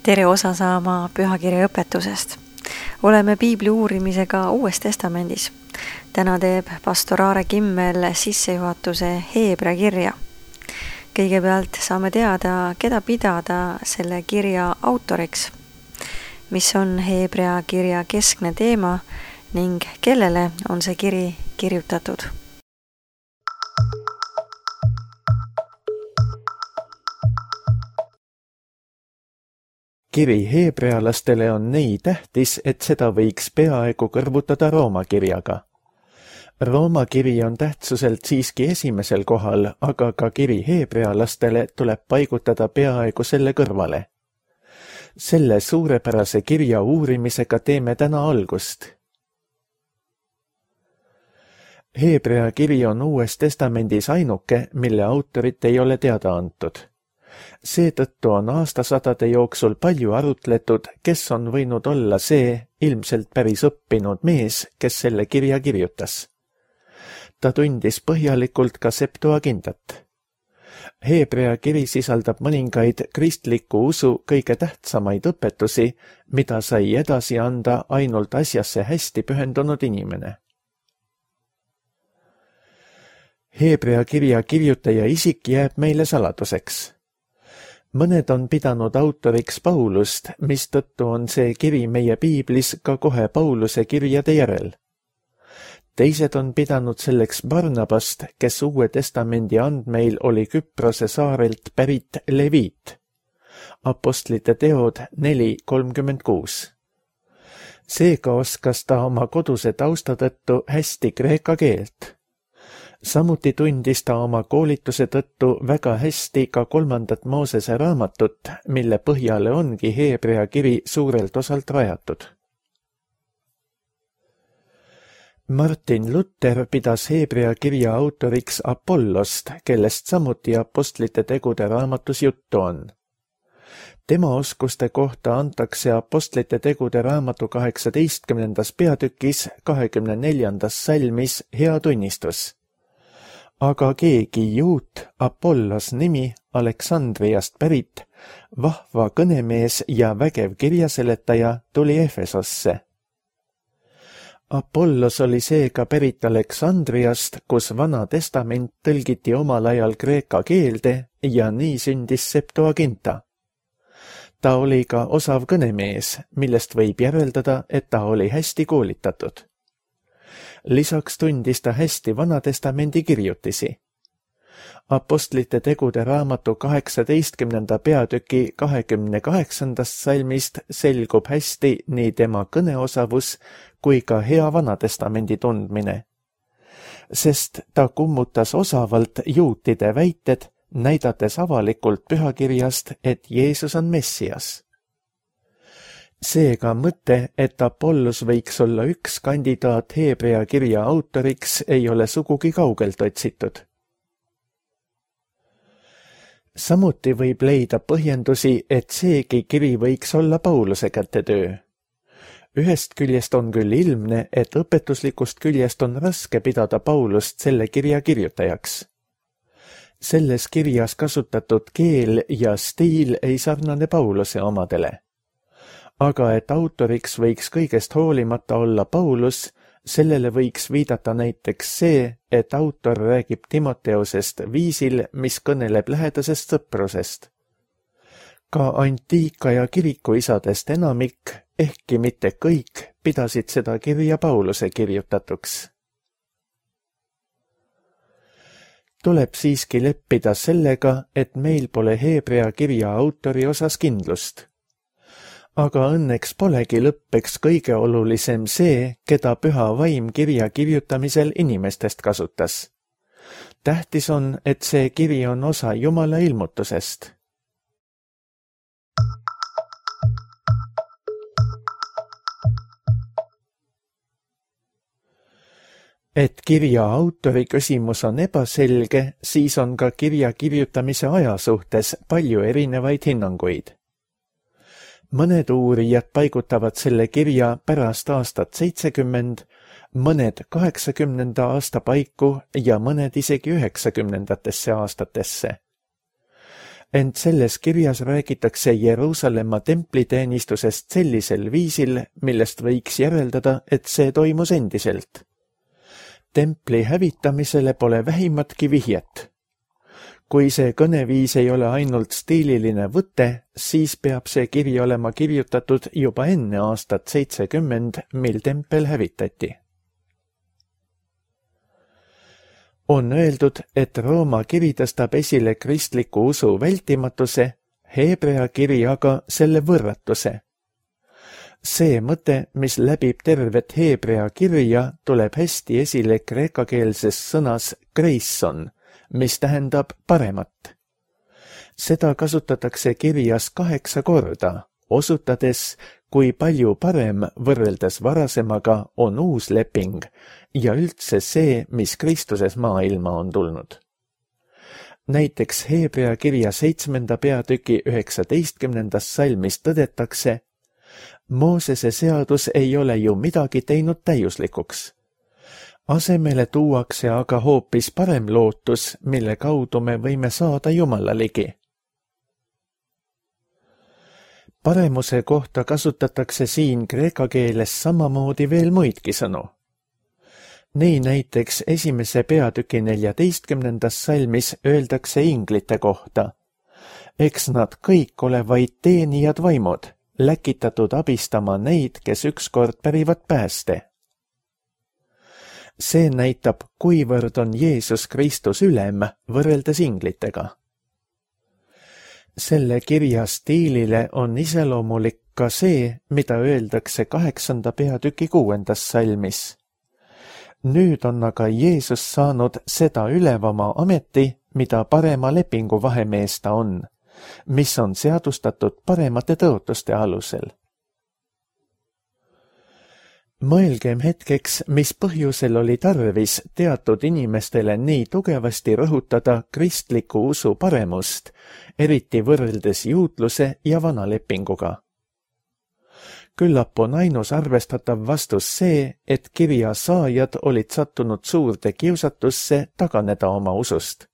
Tere osa saama pühakirja õpetusest. Oleme piibli uurimisega Uues Testamendis. Täna teeb pastor Aare Kimmel sissejuhatuse Heebrea kirja. Kõigepealt saame teada, keda pidada selle kirja autoriks, mis on Heebrea kirja keskne teema ning kellele on see kiri kirjutatud. Kiri heebrealastele on nii tähtis, et seda võiks peaaegu kõrvutada Rooma kirjaga. Rooma kiri on tähtsuselt siiski esimesel kohal, aga ka kiri heebrealastele tuleb paigutada peaaegu selle kõrvale. Selle suurepärase kirja uurimisega teeme täna algust. Heebrea kiri on Uues Testamendis ainuke, mille autorit ei ole teada antud. Seetõttu on aastasadade jooksul palju arutletud, kes on võinud olla see ilmselt päris õppinud mees, kes selle kirja kirjutas. Ta tundis põhjalikult ka Septuagintat. Heebrea kiri sisaldab mõningaid kristliku usu kõige tähtsamaid õpetusi, mida sai edasi anda ainult asjasse hästi pühendunud inimene. Heebrea kirja kirjutaja isik jääb meile saladuseks. Mõned on pidanud autoriks Paulust, mistõttu on see kiri meie piiblis ka kohe Pauluse kirjade järel. Teised on pidanud selleks Barnabast, kes Uue Testamendi andmeil oli Küprose saarelt pärit leviit. Apostlite teod 4:36. Seega oskas ta oma koduse tausta tõttu hästi kreeka keelt. Samuti tundis ta oma koolituse tõttu väga hästi ka 3. Moosese raamatut, mille põhjale ongi Heebrea kiri suurelt osalt rajatud. Martin Luther pidas Heebrea kirja autoriks Apollost, kellest samuti Apostlite tegude raamatus juttu on. Tema oskuste kohta antakse Apostlite tegude raamatu 18. peatükis 24. salmis hea tunnistus. Aga keegi juut, Apollos nimi, Aleksandriast pärit, vahva kõnemees ja vägev kirjaseletaja tuli Efesosse. Apollos oli seega pärit Aleksandriast, kus Vana Testament tõlgiti omal ajal kreeka keelde ja nii sündis Septuaginta. Ta oli ka osav kõnemees, millest võib järeldada, et ta oli hästi koolitatud. Lisaks tundis ta hästi Vana Testamendi kirjutisi. Apostlite tegude raamatu 18. peatüki 28. salmist selgub hästi nii tema kõneosavus kui ka hea Vana Testamendi tundmine. Sest ta kummutas osavalt juutide väited, näidates avalikult pühakirjast, et Jeesus on Messias. Seega mõte, et Apollos võiks olla üks kandidaat Heebrea kirja autoriks, ei ole sugugi kaugelt otsitud. Samuti võib leida põhjendusi, et seegi kiri võiks olla Pauluse kätetöö. Ühest küljest on küll ilmne, et õpetuslikust küljest on raske pidada Paulust selle kirja kirjutajaks. Selles kirjas kasutatud keel ja stiil ei sarnane Pauluse omadele. Aga et autoriks võiks kõigest hoolimata olla Paulus, sellele võiks viidata näiteks see, et autor räägib Timoteosest viisil, mis kõneleb lähedasest sõprusest. Ka antiika ja kirikuisadest enamik, ehkki mitte kõik, pidasid seda kirja Pauluse kirjutatuks. Tuleb siiski leppida sellega, et meil pole Heebrea kirja autori osas kindlust. Aga õnneks polegi lõppeks kõige olulisem see, keda püha vaim kirja kirjutamisel inimestest kasutas. Tähtis on, et see kiri on osa Jumala ilmutusest. Et kirja autori küsimus on ebaselge, siis on ka kirja kirjutamise aja suhtes palju erinevaid hinnanguid. Mõned uurijad paigutavad selle kirja pärast aastat 70, mõned 80. aasta paiku ja mõned isegi 90. aastatesse. ent selles kirjas räägitakse Jeruusalemma templiteenistusest sellisel viisil, millest võiks järeldada, et see toimus endiselt. Templi hävitamisele pole vähimatki vihjet. Kui see kõneviis ei ole ainult stiililine võte, siis peab see kiri olema kirjutatud juba enne aastat 70, mil tempel hävitati. On öeldud, et Rooma kiri tõstab esile kristliku usu vältimatuse, Heebrea kiri aga selle võrratuse. See mõte, mis läbib tervet Heebrea kirja, tuleb hästi esile kreekakeelses sõnas kreisson, mis tähendab paremat. Seda kasutatakse kirjas 8 korda, osutades, kui palju parem võrreldes varasemaga on uus leping ja üldse see, mis Kristuses maailma on tulnud. Näiteks Heebrea kirja 7. peatüki 19. salmis tõdetakse, Moosese seadus ei ole ju midagi teinud täiuslikuks. Asemele tuuakse aga hoopis parem lootus, mille kaudu me võime saada Jumala ligi. Paremuse kohta kasutatakse siin kreeka keeles samamoodi veel muidki sõnu. Nii näiteks 1. peatüki 14. salmis öeldakse inglite kohta. Eks nad kõik ole vaid teenijad vaimud, läkitatud abistama neid, kes ükskord pärivad pääste. See näitab, kuivõrd on Jeesus Kristus ülem võrreldes inglitega. Selle kirja stiilile on iseloomulik ka see, mida öeldakse 8. peatüki 6. salmis. Nüüd on aga Jeesus saanud seda ülevama ameti, mida parema lepingu vahemees ta on, mis on seadustatud paremate tõotuste alusel. Mõelgem hetkeks, mis põhjusel oli tarvis teatud inimestele nii tugevasti rõhutada kristliku usu paremust, eriti võrreldes juutluse ja vana lepinguga. Küllap on ainus arvestatav vastus see, et kirja saajad olid sattunud suurde kiusatusse taganeda oma usust.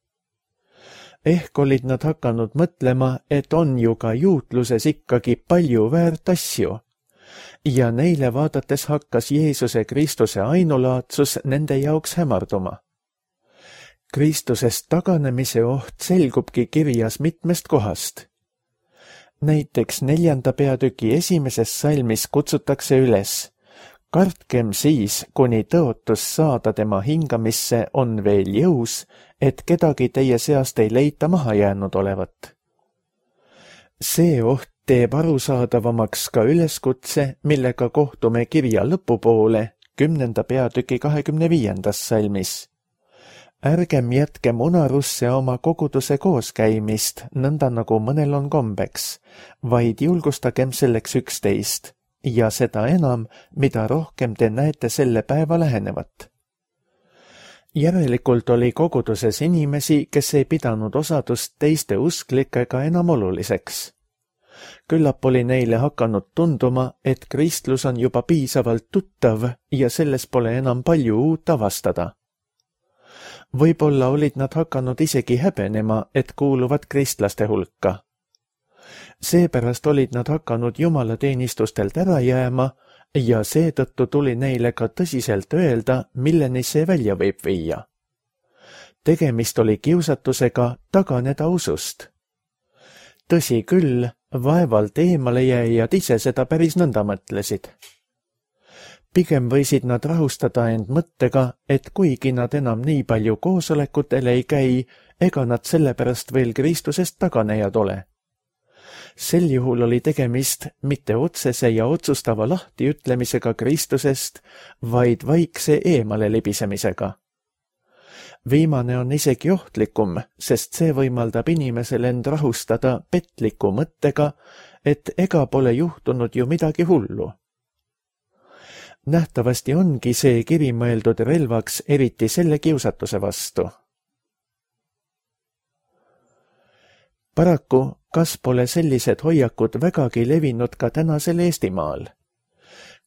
Ehk olid nad hakanud mõtlema, et on ju ka juutluses ikkagi palju väärt asju, ja neile vaadates hakkas Jeesuse Kristuse ainulaadsus nende jaoks hämarduma. Kristusest taganemise oht selgubki kirjas mitmest kohast. Näiteks 4. peatüki 1. salmis kutsutakse üles, kartkem siis, kuni tõotus saada tema hingamisse on veel jõus, et kedagi teie seast ei leita maha jäänud olevat. See oht teeb arusaadavamaks ka üleskutse, millega kohtume kirja lõpupoole 10. peatüki 25. salmis. Ärgem jätkem unarusse oma koguduse kooskäimist, nõnda nagu mõnel on kombeks, vaid julgustagem selleks üksteist, ja seda enam, mida rohkem te näete selle päeva lähenevat. Järelikult oli koguduses inimesi, kes ei pidanud osadust teiste usklikega enam oluliseks. Küllap oli neile hakanud tunduma, et kristlus on juba piisavalt tuttav ja selles pole enam palju uut avastada. Võib-olla olid nad hakanud isegi häbenema, et kuuluvad kristlaste hulka. Seepärast olid nad hakanud jumalateenistustelt ära jääma ja seetõttu tuli neile ka tõsiselt öelda, milleni see välja võib viia. Tegemist oli kiusatusega taganeda usust. Tõsi küll, vaevalt eemalejääjad ise seda päris nõnda mõtlesid. Pigem võisid nad rahustada end mõttega, et kuigi nad enam nii palju koosolekutel ei käi, ega nad sellepärast veel Kristusest taganejad ole. Sel juhul oli tegemist mitte otsese ja otsustava lahtiütlemisega Kristusest, vaid vaikse eemale libisemisega. Viimane on isegi ohtlikum, sest see võimaldab inimesel end rahustada petliku mõttega, et ega pole juhtunud ju midagi hullu. Nähtavasti ongi see kiri mõeldud relvaks eriti selle kiusatuse vastu. Paraku, kas pole sellised hoiakud vägagi levinud ka tänasel Eestimaal?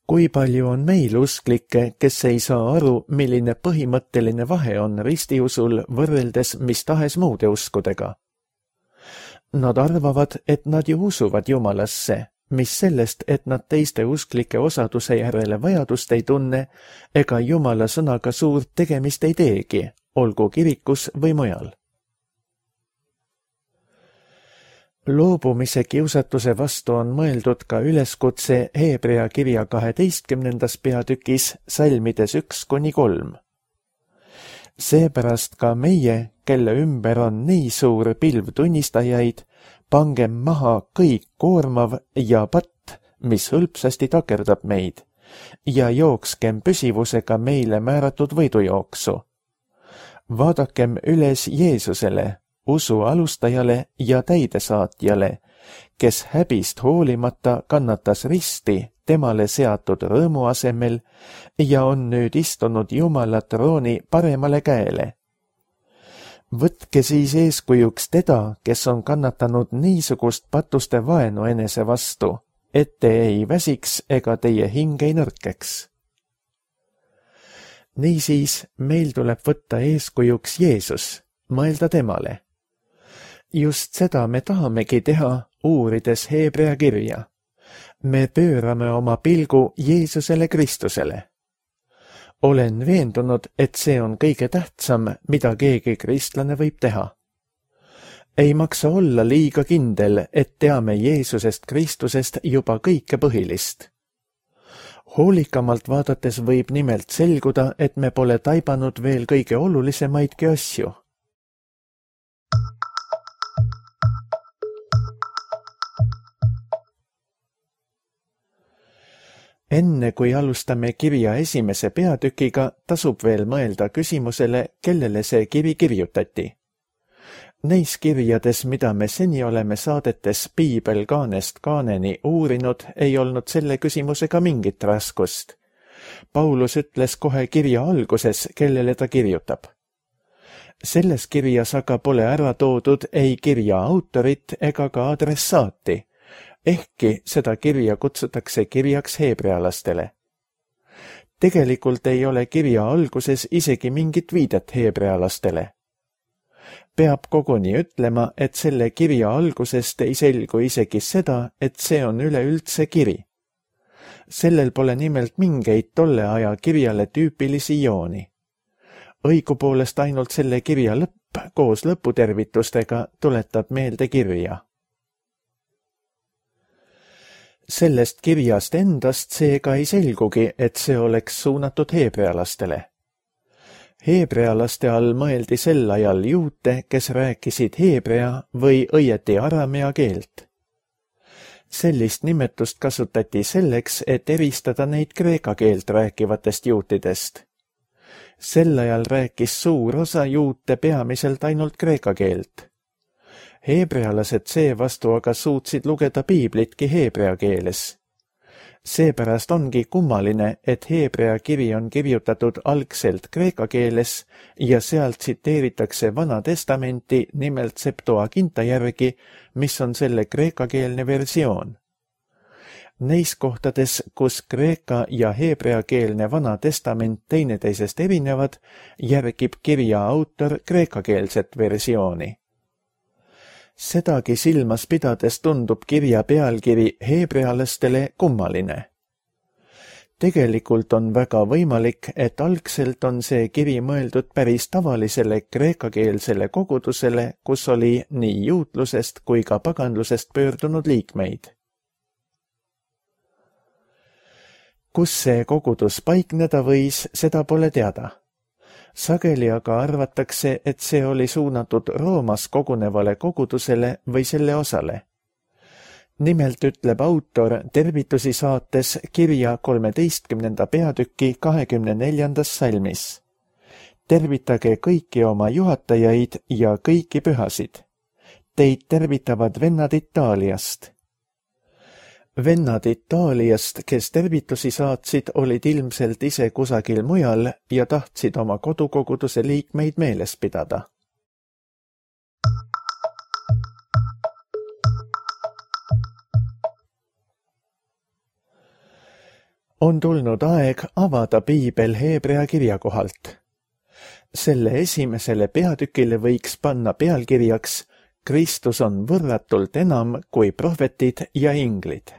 Kui palju on meil usklikke, kes ei saa aru, milline põhimõtteline vahe on ristiusul võrreldes mis tahes muude uskudega? Nad arvavad, et nad ju usuvad Jumalasse, mis sellest, et nad teiste usklike osaduse järele vajadust ei tunne ega Jumala sõnaga suurt tegemist ei teegi, olgu kirikus või mujal. Loobumise kiusatuse vastu on mõeldud ka üleskutse Heebrea kirja 12. peatükis salmides 1-3. Seepärast ka meie, kelle ümber on nii suur pilv tunnistajaid, pangem maha kõik koormav ja patt, mis hõlpsasti takerdab meid, ja jookskem püsivusega meile määratud võidujooksu. Vaadakem üles Jeesusele, usu alustajale ja täidesaatjale, kes häbist hoolimata kannatas risti temale seatud rõõmu asemel ja on nüüd istunud Jumala trooni paremale käele. Võtke siis eeskujuks teda, kes on kannatanud niisugust patuste vaenu enese vastu, et te ei väsiks ega teie hing ei nõrkeks. Niisiis meil tuleb võtta eeskujuks Jeesus, mõelda temale. Just seda me tahamegi teha, uurides Heebrea kirja. Me pöörame oma pilgu Jeesusele Kristusele. Olen veendunud, et see on kõige tähtsam, mida keegi kristlane võib teha. Ei maksa olla liiga kindel, et teame Jeesusest Kristusest juba kõike põhilist. Hoolikamalt vaadates võib nimelt selguda, et me pole taibanud veel kõige olulisemaidki asju. Enne kui alustame kirja esimese peatükiga, tasub veel mõelda küsimusele, kellele see kiri kirjutati. Neis kirjades, mida me seni oleme saadetes Piibel kaanest kaaneni uurinud, ei olnud selle küsimusega mingit raskust. Paulus ütles kohe kirja alguses, kellele ta kirjutab. Selles kirjas aga pole ära toodud ei kirja autorit ega ka adressaati, ehkki seda kirja kutsutakse kirjaks heebrealastele. Tegelikult ei ole kirja alguses isegi mingit viidet heebrealastele. Peab koguni ütlema, et selle kirja algusest ei selgu isegi seda, et see on üleüldse kiri. Sellel pole nimelt mingeid tolle aja kirjale tüüpilisi jooni. Õigupoolest ainult selle kirja lõpp koos lõputervitustega tuletab meelde kirja. Sellest kirjast endast seega ei selgugi, et see oleks suunatud heebrealastele. Heebrealaste all mõeldi sel ajal juute, kes rääkisid heebrea või õieti aramea keelt. Sellist nimetust kasutati selleks, et eristada neid kreeka keelt rääkivatest juutidest. Sel ajal rääkis suur osa juute peamiselt ainult kreeka keelt. Heebrealased seevastu aga suutsid lugeda piiblitki heebrea keeles. Seepärast ongi kummaline, et heebrea kiri on kirjutatud algselt kreeka keeles ja sealt tsiteeritakse Vana Testamenti nimelt Septuaginta järgi, mis on selle kreekakeelne versioon. Neis kohtades, kus kreeka ja heebrea keelne Vana Testament teineteisest erinevad, järgib kirja autor kreekakeelset versiooni. Sedagi silmas pidades tundub kirja pealkiri heebrealastele kummaline. Tegelikult on väga võimalik, et algselt on see kiri mõeldud päris tavalisele kreekakeelsele kogudusele, kus oli nii juutlusest kui ka paganlusest pöördunud liikmeid. Kus see kogudus paikneda võis, seda pole teada. Sageli aga arvatakse, et see oli suunatud Roomas kogunevale kogudusele või selle osale. Nimelt ütleb autor tervitusi saates kirja 13. peatüki 24. salmis. Tervitage kõiki oma juhatajaid ja kõiki pühasid. Teid tervitavad vennad Itaaliast. Vennad Itaaliast, kes tervitusi saatsid, olid ilmselt ise kusagil mujal ja tahtsid oma kodukoguduse liikmeid meeles pidada. On tulnud aeg avada piibel heebrea kirja kohalt. Selle esimesele peatükile võiks panna pealkirjaks Kristus on võrratult enam kui prohvetid ja inglid.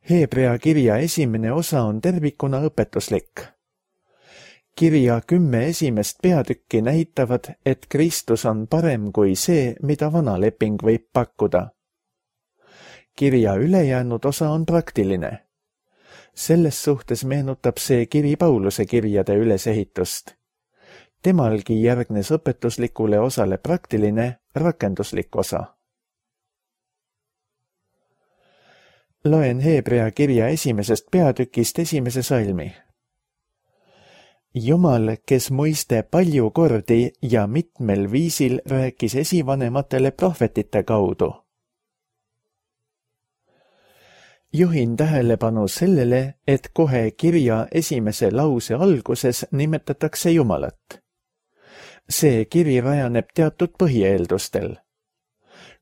Heebrea kirja esimene osa on tervikuna õpetuslik. Kirja 10 esimest peatükki näitavad, et Kristus on parem kui see, mida vana leping võib pakkuda. Kirja ülejäänud osa on praktiline. Selles suhtes meenutab see kiri Pauluse kirjade ülesehitust. Temalgi järgnes õpetuslikule osale praktiline, rakenduslik osa. Loen Heebrea kirja esimesest peatükist esimese salmi. Jumal, kes muiste palju kordi ja mitmel viisil rääkis esivanematele prohvetite kaudu. Juhin tähelepanu sellele, et kohe kirja esimese lause alguses nimetatakse Jumalat. See kiri rajaneb teatud põhieeldustel.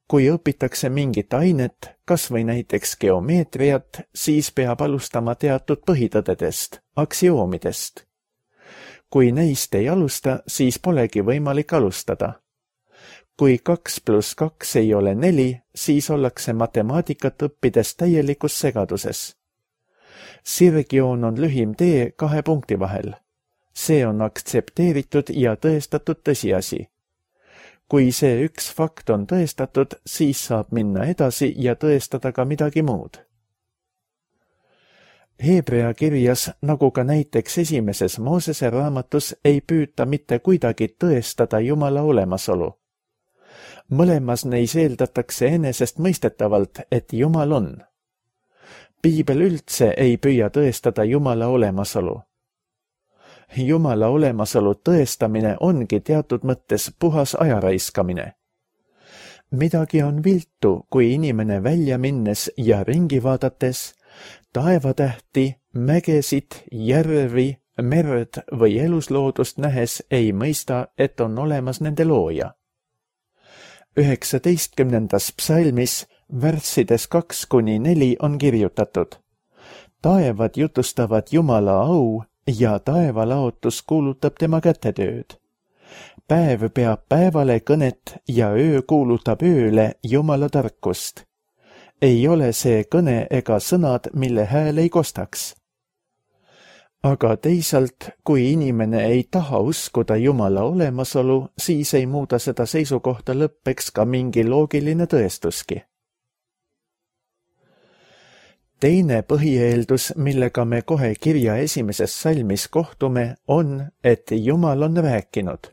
Kui õpitakse mingit ainet, kas või näiteks geomeetriat, siis peab alustama teatud põhitõdedest, aktsioomidest. Kui neist ei alusta, siis polegi võimalik alustada. Kui 2 + 2 ei ole 4, siis ollakse matemaatikat õppides täielikus segaduses. Sirgjoon on lühim tee 2 punkti vahel. See on aktsepteeritud ja tõestatud tõsiasi. Kui see üks fakt on tõestatud, siis saab minna edasi ja tõestada ka midagi muud. Heebrea kirjas, nagu ka näiteks esimeses Moosese raamatus, ei püüta mitte kuidagi tõestada Jumala olemasolu. Mõlemas neis eeldatakse enesestmõistetavalt, et Jumal on. Piibel üldse ei püüa tõestada Jumala olemasolu. Jumala olemasolu tõestamine ongi teatud mõttes puhas ajaraiskamine. Midagi on viltu, kui inimene välja minnes ja ringi vaadates, taevatähti, mägesid, järvi, merd või elusloodust nähes ei mõista, et on olemas nende looja. 19. psalmis värssides 2-4 on kirjutatud. Taevad jutustavad Jumala au ja taevalaotus kuulutab tema kätetööd. Päev peab päevale kõnet ja öö kuulutab ööle Jumala tarkust. Ei ole see kõne ega sõnad, mille hääl ei kostaks. Aga teisalt, kui inimene ei taha uskuda Jumala olemasolu, siis ei muuda seda seisukohta lõppeks ka mingi loogiline tõestuski. Teine põhieeldus, millega me kohe kirja esimeses salmis kohtume, on, et Jumal on rääkinud.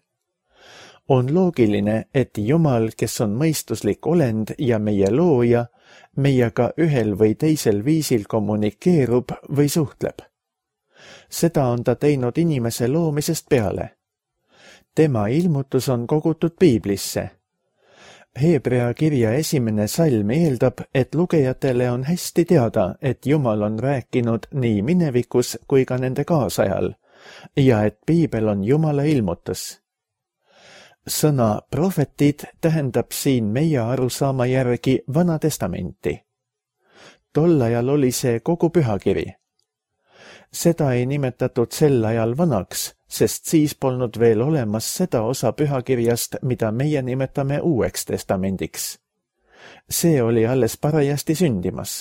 On loogiline, et Jumal, kes on mõistuslik olend ja meie looja, meiega ühel või teisel viisil kommunikeerub või suhtleb. Seda on ta teinud inimese loomisest peale. Tema ilmutus on kogutud Piiblisse. Heebrea kirja esimene salm eeldab, et lugejatele on hästi teada, et Jumal on rääkinud nii minevikus kui ka nende kaasajal ja et Piibel on Jumala ilmutus. Sõna prohvetid tähendab siin meie arusaama järgi Vana Testamenti. Tol ajal oli see kogu pühakiri. Seda ei nimetatud sel ajal vanaks, sest siis polnud veel olemas seda osa pühakirjast, mida meie nimetame Uueks Testamendiks. See oli alles parajasti sündimas.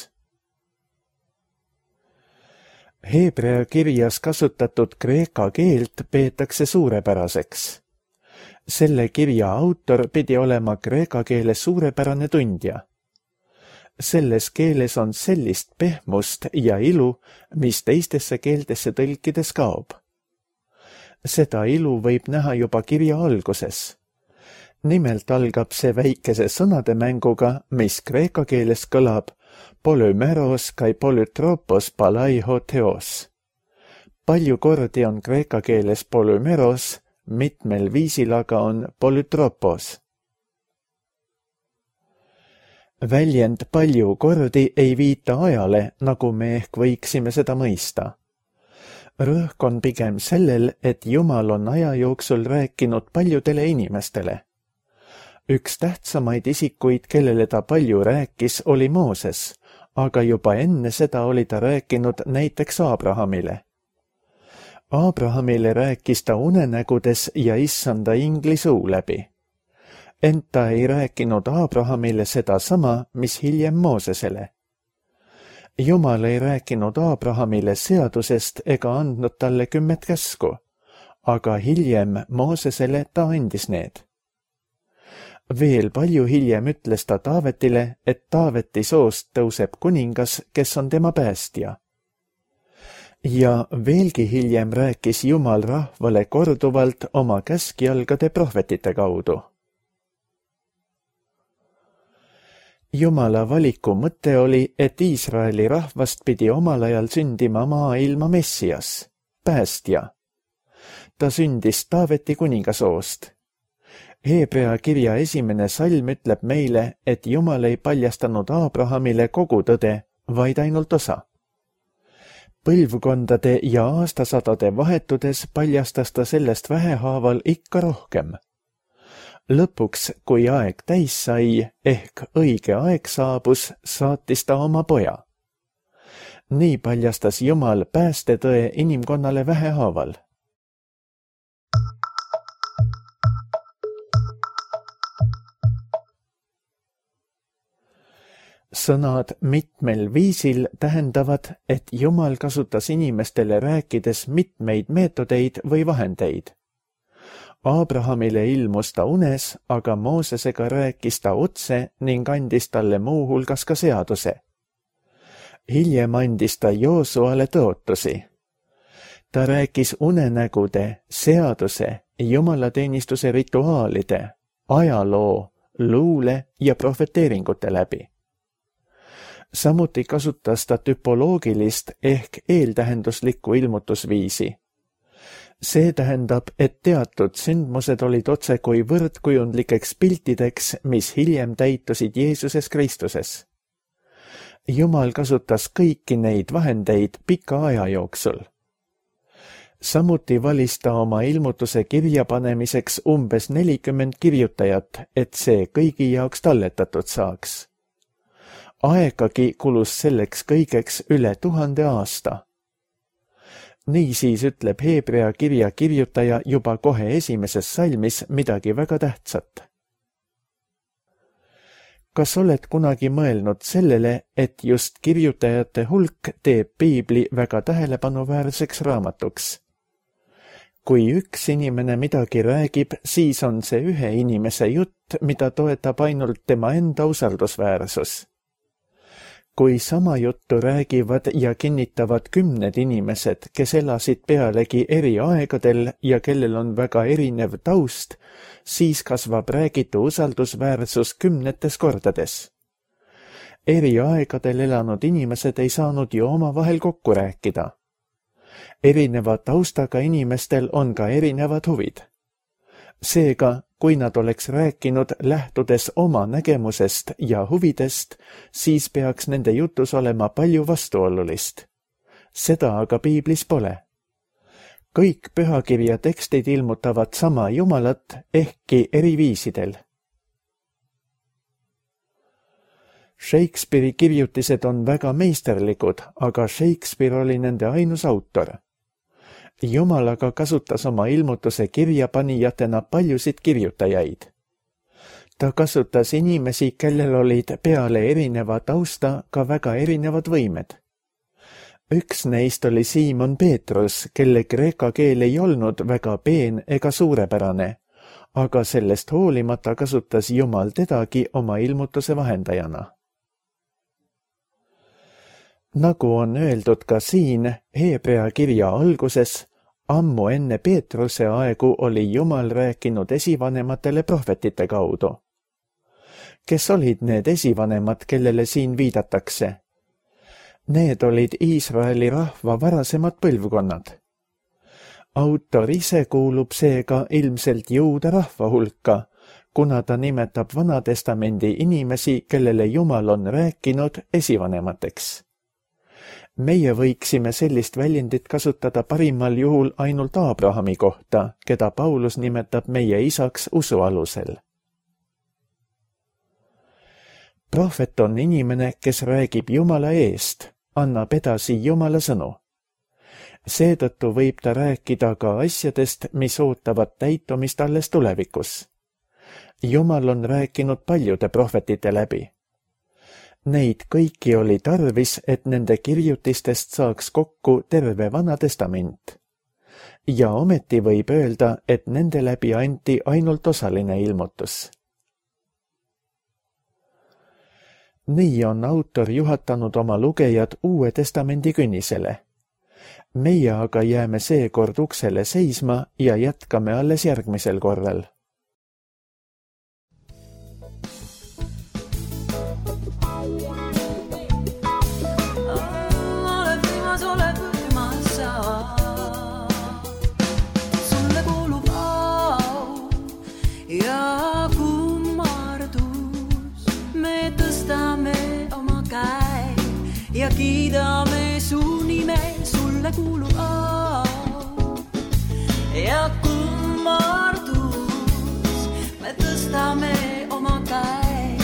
Heebrea kirjas kasutatud kreeka keelt peetakse suurepäraseks. Selle kirja autor pidi olema kreeka keele suurepärane tundja. Selles keeles on sellist pehmust ja ilu, mis teistesse keeltesse tõlkides kaob. Seda ilu võib näha juba kirja alguses. Nimelt algab see väikese sõnademänguga, mis kreeka keeles kõlab polümeros kai polytropos palaiho theos. Palju kordi on kreeka keeles polümeros, mitmel viisil aga on polytropos. Väljend palju kordi ei viita ajale, nagu me ehk võiksime seda mõista. Rõhk on pigem sellel, et Jumal on aja jooksul rääkinud paljudele inimestele. Üks tähtsamaid isikuid, kellele ta palju rääkis, oli Mooses, aga juba enne seda oli ta rääkinud näiteks Abrahamile. Abrahamile rääkis ta unenägudes ja issanda ingli suu läbi. ent ta ei rääkinud Abrahamile sedasama, mis hiljem Moosesele. Jumal ei rääkinud Abrahamile seadusest ega andnud talle 10 käsku, aga hiljem Moosesele ta andis need. Veel palju hiljem ütles ta Taavetile, et Taaveti soost tõuseb kuningas, kes on tema päästja. Ja veelgi hiljem rääkis Jumal rahvale korduvalt oma käskjalgade prohvetite kaudu. Jumala valiku mõte oli, et Iisraeli rahvast pidi omal ajal sündima maailma Messias, päästja. Ta sündis Taaveti kuningasoost. Heebrea kirja 1. salm ütleb meile, et Jumal ei paljastanud Abrahamile kogu tõde, vaid ainult osa. Põlvkondade ja aastasadade vahetudes paljastas ta sellest vähehaaval ikka rohkem. Lõpuks, kui aeg täis sai, ehk õige aeg saabus, saatis ta oma poja. Nii paljastas Jumal päästetõe inimkonnale vähehaaval. Sõnad mitmel viisil tähendavad, et Jumal kasutas inimestele rääkides mitmeid meetodeid või vahendeid. Abrahamile ilmus ta unes, aga Moosesega rääkis ta otse ning andis talle muu hulgas ka seaduse. Hiljem andis ta Joosuale tõotusi. Ta rääkis unenägude, seaduse, jumalateenistuse rituaalide, ajaloo, luule ja prohveteeringute läbi. Samuti kasutas ta tüpoloogilist ehk eeltähenduslikku ilmutusviisi. See tähendab, et teatud sündmused olid otsekui võrdkujundlikeks piltideks, mis hiljem täitusid Jeesuses Kristuses. Jumal kasutas kõiki neid vahendeid pika aja jooksul. Samuti valis ta oma ilmutuse kirja panemiseks umbes 40 kirjutajat, et see kõigi jaoks talletatud saaks. Aegagi kulus selleks kõigeks üle 1000 aasta. Niisiis ütleb Heebrea kirja kirjutaja juba kohe 1. salmis midagi väga tähtsat. Kas oled kunagi mõelnud sellele, et just kirjutajate hulk teeb piibli väga tähelepanuväärseks raamatuks? Kui üks inimene midagi räägib, siis on see ühe inimese jutt, mida toetab ainult tema enda usaldusväärsus. Kui sama juttu räägivad ja kinnitavad 10 inimesed, kes elasid pealegi eri aegadel ja kellel on väga erinev taust, siis kasvab räägitu usaldusväärsus 10 kordades. Eri aegadel elanud inimesed ei saanud ju omavahel kokku rääkida. Erineva taustaga inimestel on ka erinevad huvid. Seega, kui nad oleks rääkinud lähtudes oma nägemusest ja huvidest, siis peaks nende jutus olema palju vastuolulist. Seda aga piiblis pole. Kõik pühakirja tekstid ilmutavad sama Jumalat, ehkki eri viisidel. Shakespeare'i kirjutised on väga meisterlikud, aga Shakespeare oli nende ainus autor. Jumal aga kasutas oma ilmutuse kirjapanijatena paljusid kirjutajaid. Ta kasutas inimesi, kellel olid peale erineva tausta ka väga erinevad võimed. Üks neist oli Siimon Peetrus, kelle kreeka keel ei olnud väga peen ega suurepärane, aga sellest hoolimata kasutas Jumal tedagi oma ilmutuse vahendajana. Nagu on öeldud ka siin Heebrea kirja alguses, ammu enne Peetruse aegu oli Jumal rääkinud esivanematele prohvetite kaudu. Kes olid need esivanemad, kellele siin viidatakse? Need olid Iisraeli rahva varasemad põlvkonnad. Autor ise kuulub seega ilmselt juuda rahva hulka, kuna ta nimetab Vanatestamendi inimesi, kellele Jumal on rääkinud esivanemateks. Meie võiksime sellist väljendit kasutada parimal juhul ainult Abrahami kohta, keda Paulus nimetab meie isaks usu alusel. Prohvet on inimene, kes räägib Jumala eest, annab edasi Jumala sõnu. Seetõttu võib ta rääkida ka asjadest, mis ootavad täitumist alles tulevikus. Jumal on rääkinud paljude prohvetite läbi. Neid kõiki oli tarvis, et nende kirjutistest saaks kokku terve Vana Testament. Ja ometi võib öelda, et nende läbi anti ainult osaline ilmutus. Nii on autor juhatanud oma lugejad Uue Testamendi künnisele. Meie aga jääme seekord uksele seisma ja jätkame alles järgmisel korral. Ja kiidame su nime, sulle kuulub au ja kummardus. Me tõstame oma käe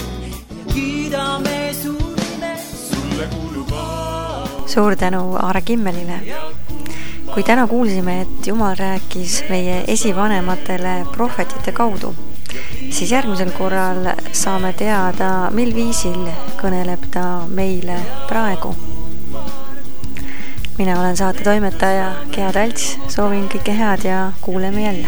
ja kiidame su nime, sulle kuulub au. Suur tänu Aare Kimmelile. Kui täna kuulsime, et Jumal rääkis meie esivanematele prohvetite kaudu, siis järgmisel korral saame teada, mil viisil kõneleb ta meile praegu. Mina olen saate toimetaja Gea Talts, soovin kõike head ja kuuleme jälle.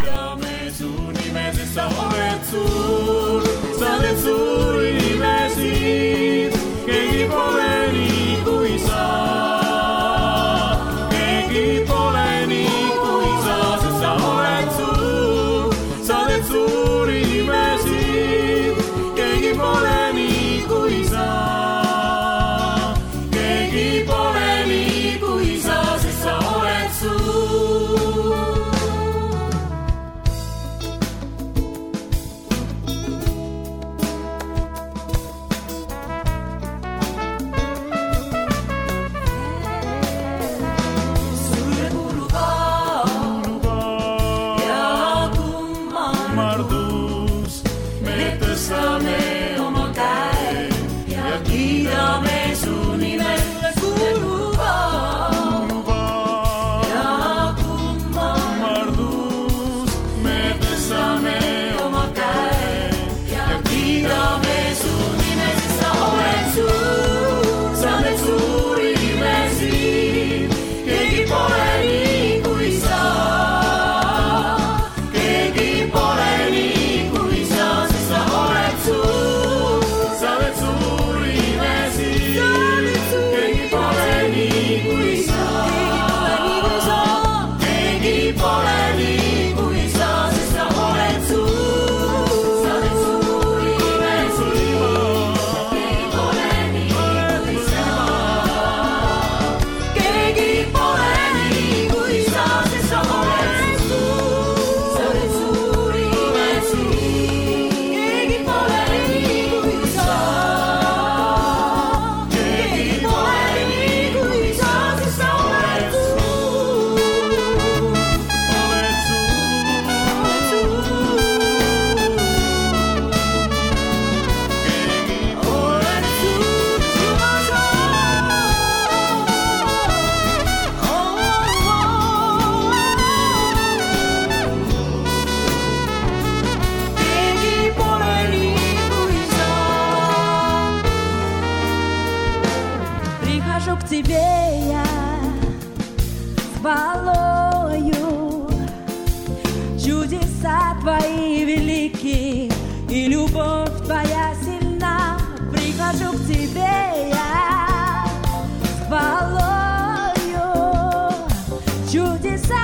К тебе я с хвалою, чудеса твои велики и любовь твоя сильна. Прихожу к тебе я с хвалою, чудеса